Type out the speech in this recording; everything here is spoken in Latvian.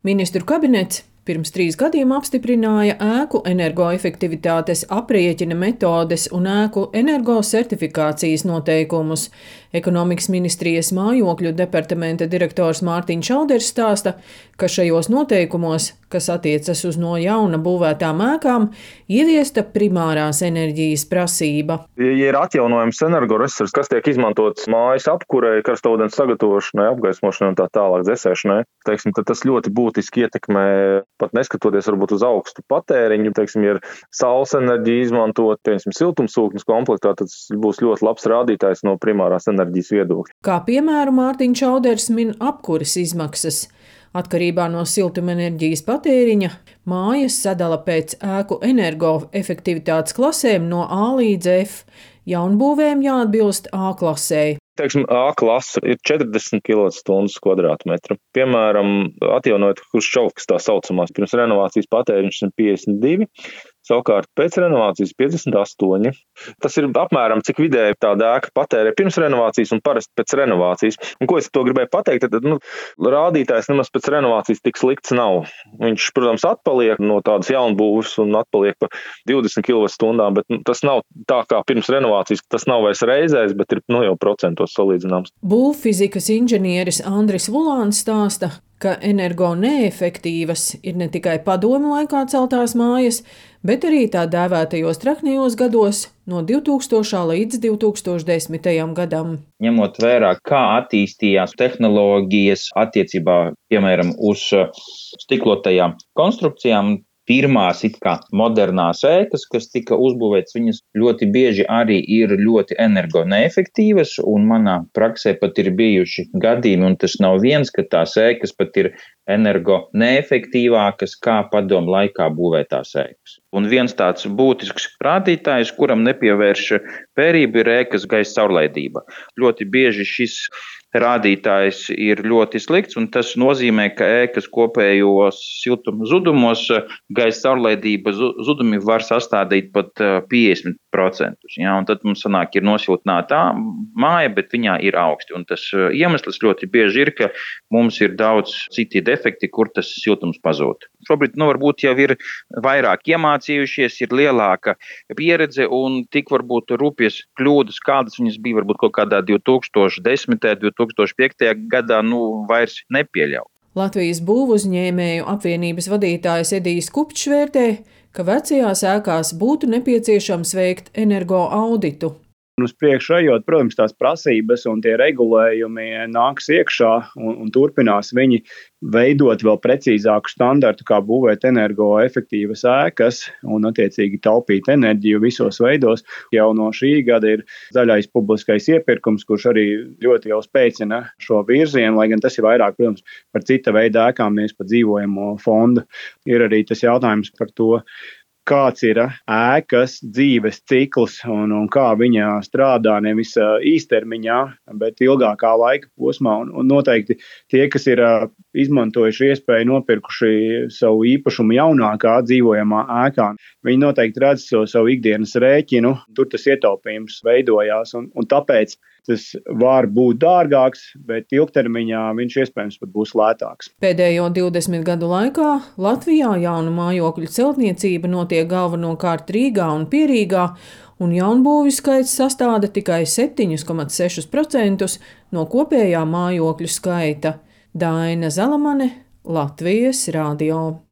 Ministru kabinets pirms 3 gadiem apstiprināja ēku energoefektivitātes aprēķina metodes un ēku energosertifikācijas noteikumus. Ekonomikas ministrijas mājokļu departamenta direktors Mārtiņš Šauders stāsta, ka šajos noteikumos, kas attiecas uz no jauna būvētām ēkām, ieviesta primārās enerģijas prasība. Ja ir atjaunojams energoresurss, kas tiek izmantots mājas apkurei, karstaūdens sagatavošanai, apgaismošanai un tā tālāk dzēsēšanai, tad tas ļoti būtiski ietekmē, pat neskatoties varbūt uz augstu patēriņu, ja ir saules enerģija izmantot, siltumsūknis komplektā, tad tas būs ļoti labs rādītājs no primārās enerģijas viedokļa. Kā piemēru Mārtiņš Šauders min apkures izmaksas. Atkarībā no siltumenerģijas patēriņa mājas sadala pēc ēku energoefektivitātes klasēm no A līdz F. Jaunbūvēm jāatbilst A klasei. A klase ir 40 kWh². Piemēram, atjaunojot Hruščovkas tā saucamās, pirms renovācijas patēriņš ir 52, savukārt pēc renovācijas 58. Tas ir apmēram cik vidēji tāda ēka patērē pirms renovācijas un parasti pēc renovācijas. Un ko es to gribēju pateikt, tad rādītājs nemaz pēc renovācijas tik slikts nav. Viņš, protams, atpaliek no tādas jaunbūves un atpaliek pa 20 kWh, bet tas nav tā kā pirms renovācijas, tas nav vairs reizēs, bet ir jau procentos salīdzināms. Būvfizikas inženieris Andris Vulāns stāsta, ka energo neefektīvas ir ne tikai padomju laikā celtās mājas, bet arī tā dēvētajos traknajos gados no 2000. līdz 2010. gadam. Ņemot vērā, kā attīstījās tehnoloģijas attiecībā, piemēram, uz stiklotajām konstrukcijām, pirmās modernās ēkas, kas tika uzbūvētas, viņas ļoti bieži arī ir ļoti energo neefektīvas, un manā praksē pat ir bijuši gadījumi, un tas nav viens, ka tās ēkas pat ir energo neefektīvākas kā padomu laikā būvētās ēkas. Un viens tāds būtisks rādītājs, kuram nepievērš vērību, ir ēkas gaisa caurlaidība. Ļoti bieži šis rādītājs ir ļoti slikts, un tas nozīmē, ka ēkas kopējos siltuma zudumos gaisa caurlaidība zudumi var sastādīt pat 50%. Ja? Un tad mums sanāk, ir nosiltināta māja, bet viņā ir augsti. Un tas iemesls ļoti bieži ir, ka mums ir daudz citi defekti, kur tas siltums pazūd. Šobrīd varbūt jau ir vairāk iemācījušies, ir lielāka pieredze un tik varbūt rūpjas kļūdas, kādas viņas bija varbūt kaut kādā 2010. 2005. gadā vairs nepieļauj. Latvijas būvuzņēmēju apvienības vadītājs Edijs Kupčs vērtē, ka vecajās ēkās būtu nepieciešams veikt energo auditu. Uz priekšu ejot, protams, tās prasības un tie regulējumi nāks iekšā un turpinās viņi veidot vēl precīzāku standartu, kā būvēt energoefektīvas ēkas un attiecīgi taupīt enerģiju visos veidos. Jau no šī gada ir zaļais publiskais iepirkums, kurš arī ļoti jau spēcina šo virzienu, lai gan tas ir vairāk, protams, par cita veida ēkām, nevis par dzīvojamo fondu. Ir arī tas jautājums par to, kāds ir ēkas dzīves cikls un kā viņa strādā nevis īstermiņā, bet ilgākā laika posmā. Un noteikti tie, kas ir izmantojuši iespēju nopirkuši savu īpašumu jaunākā dzīvojamā ēkā, viņi noteikti redz savu ikdienas rēķinu, tur tas ietaupījums veidojās un tāpēc tas var būt dārgāks, bet ilgtermiņā viņš iespējams pat būs lētāks. Pēdējo 20 gadu laikā Latvijā jaunu mājokļu celtniecība notiek galvenokārt Rīgā un Pierīgā, un jaunbūvju skaits sastāda tikai 7,6% no kopējā mājokļu skaita. Daina Zalamane, Latvijas radio.